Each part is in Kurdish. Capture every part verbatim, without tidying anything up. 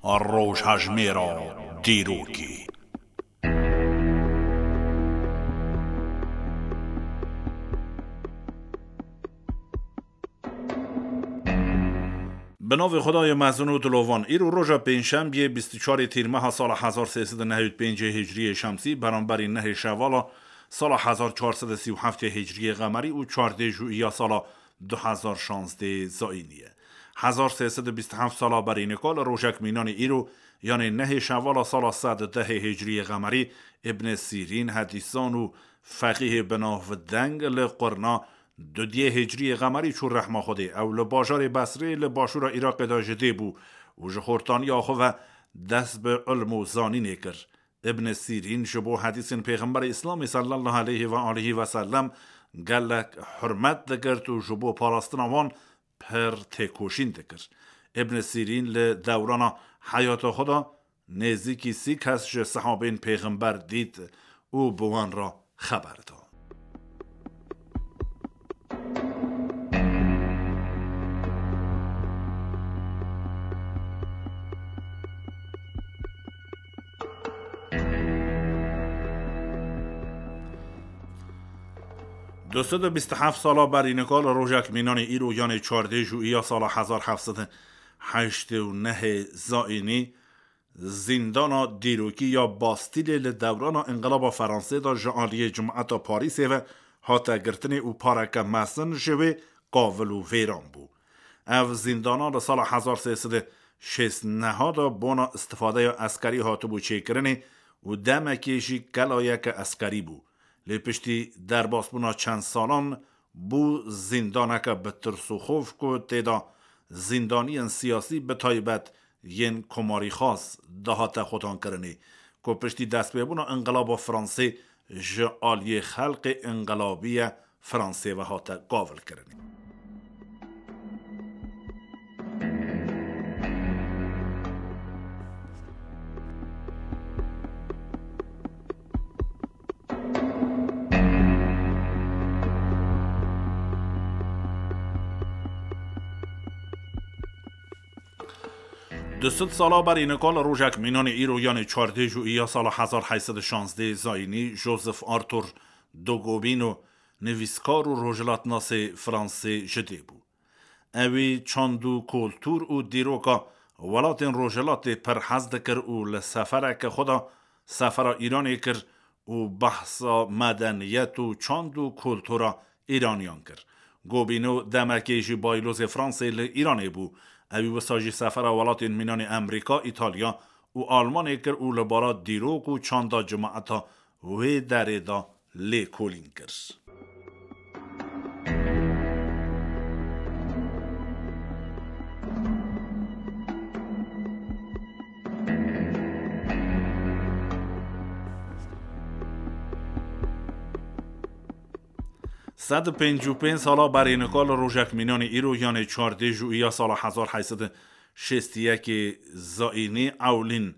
Rojhejmêra dîrokê. Bi navê Xwedayê mezin û dilovan, îro roja pêncşembiyê bîst û çarê Tîrmeha sala hezar sê sed û nehê û pêncê Hicriyê Şemsî, beramberî nehê Şevala sala hezar çar sed û sî û heftê Hicriyê Qemerî û çardê Jûiya sala du hezar şazdê Zayînî ye. Hezar sê sed û bîst û heft sala berî nika li rojek mînanê îro, yanê nehê Şevala sala sed û dehê Hicriyê Qemerî, Îbn Sîrîn, hedîsan û feqîhê bi navdeng li qurna dudiyê Hicriyê Qemerî çû rehma Xwedê. Ew li bajarê Besrê li başûra Iraqê de ji dê bû û ji xortaniya xwe ve dest bi ilm û zanînê kir. Îbn Sîrîn ji bo hedîsên Pêxemberê Îslamê sallallahu aleyhi ve aleyhi ve sellem gelek hurmet digirt û ji bo parastina wan pir têkoşîn dikir. Îbn Sîrîn li dewrana heyata xwe de nêzîkî sî kes ji sehabên Pêxember dît û bi wan re xeber da. Du sed û bîst û heft sala berî nika li rojek mînanê îro, yanê çardê Jûiya sala hezar heft sed û heştê û nehê Zayînî, zîndana dîrokî ya Bastîlê li dewrana Înqilaba Fransê de ji aliyê Cemaeta Parîsê ve hate girtinê û pareke mezin ji wê qavil û vêran bû. Ev zîndana li sala hezar sê sed û şêst neh de bona îstifadeya eskerî hatibû çêkirinê û demekê jî kelayeke eskerî bû. Lê piştî derbasbûna çend salan bû zîndaneke bi tirs û xof ku tê de zîndaniyên siyasî, bi taybet yên komarîxwaz, dihate xwedankirinê, ku piştî destpêbûna Înqilaba Fransê ji aliyê xelkê înqilabî ye Fransê ve hate gavilkirinê. Du sed sala berî nika li rojek mînanê îro, yanê çardê Jûiya sala hezar heyt sed û şazdê Zayînî, Joseph Arthur de Gobineau, nivîskar û rojhilatnasê Fransê ji dê bû. Ewî çand û kultur û dîroka welatên Rojhilatê pir hez dikir û li sefereke xwe de sefera Îranê kir û behsa medeniyet û çand û kultura Îraniyan kir. Gobineau demekê jî baylozê Fransê li Îranê bû. Ewî wisa jî sefera welatên mînanê Amerîka, Îtalya û Almanê kir û li bara dîrok û çanda cemaeta wê derê de lêkolîn kir. Sed û pêncî û pênc sala berê nika li rojek mînanê îro, yanê çardê Jûiya sala hezar heyt sed û şêst û yekê Zayînî, ewlîn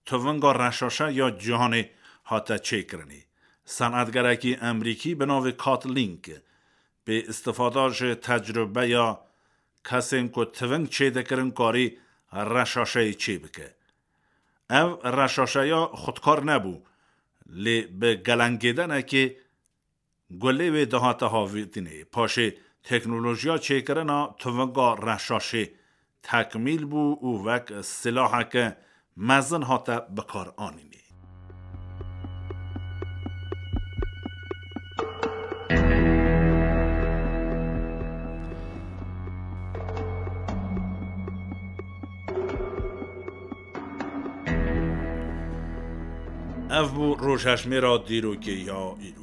tivinga reşaşe ya cîhanê hate çêkirinê. Senetgerekî Emerîkî bi navê Katlink, bi îstifada ji tecrubeya kesên ku tiving çêdikirin, karî reşaşeyê çêbike. Ev reşaşeya xudkar nebû, lê bi gelengêdenekê gulê wê dihate havîtinê. Paşê teknolojiya çêkirina tivinga reşaşê tekmîl bû û wek silaheke mezin hate bikaranînê. Ev bû rojhejmêra dîrokê ya îro.